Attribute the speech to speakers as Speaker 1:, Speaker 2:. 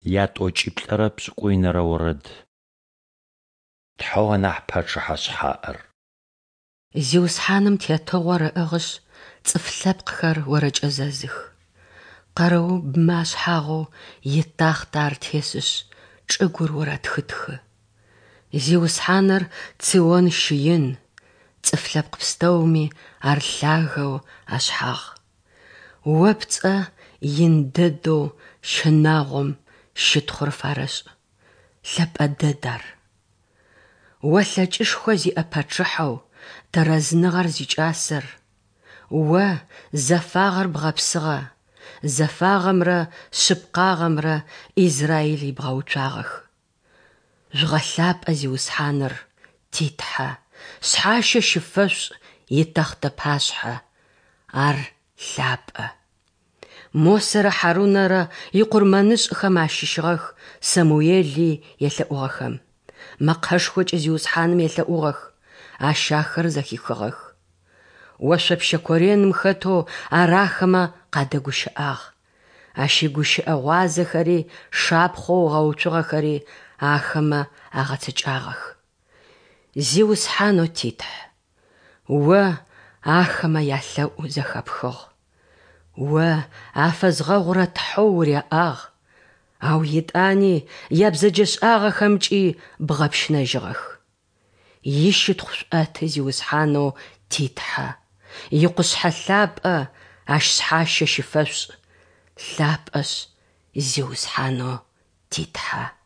Speaker 1: Ятӏокӏиплӏырэ пшӏыкӏуйнэрэ орэд. Тхьэу анахь Пачъыхьэ шъхьаӏэр.
Speaker 2: Зиусхьаным тетыгъор ыӏыгъышъ, цӏыф лъэпкъхэр орэкӏэзэзых. Къэрыубмэ ашъхьагъэу итахътэ Ар тесышъ, чӏыгур орэтхытхы. Зиусхьаныр Цион щыин, цӏыф лъэпкъ пстэуми Ар лъагэу ашъхьагъ. О пцӏэ ин дэдэу щынагъом щытхъур фарэшӏ, лъэпӏэ дэд ар. О лъэкӏышхо зиӏэ пачъыхьэу тэрэзныгъэр зикӏасэр, О зэфагъэр бгъэпсыгъэ, зэфагъэмрэ шъыпкъагъэмрэ Израил ибгъэуцуагъэх. Жъугъэлъапӏэ Зиусхьаныр, ти Тхьэ, шъхьащэ щыфэшъушӏ итэхътэ пашъхьэ, Ар лъапӏэ. Мосэрэ Хьарунэрэ икъурмэнышӏхэм ащыщыгъэх Самуели елъэӏугъэхэм. Мэкъэшхокӏэ Зиусхьаным елъэӏугъэх, Ащ ахэр зэхихыгъэх. Ошъопщэ кореным хэтэу Ар ахэмэ къадэгущыӏагъ. Ащ игущыӏэ гъуазэхэри шапхъэу ыгъэуцугъэхэри ахэмэ агъэцэкӏагъэх. Зиусхьанэу ти Тхь, О ахэмэ ялъэӏу зэхэпхыгъ. О афэзгъэгъурэ Тхьэу уряӏагъ, ау етӏани ябзэджэшӏагъэхэмкӏи бгъэпщынэжьыгъэх. Ищытхъу шъуӏэты Зиусхьанэу ти Тхьэ, икъушъхьэ лъапӏэ Ащ шъхьащэ щыфэшъушӏ, лъапӏэшъ Зиусхьанэу ти Тхьэ.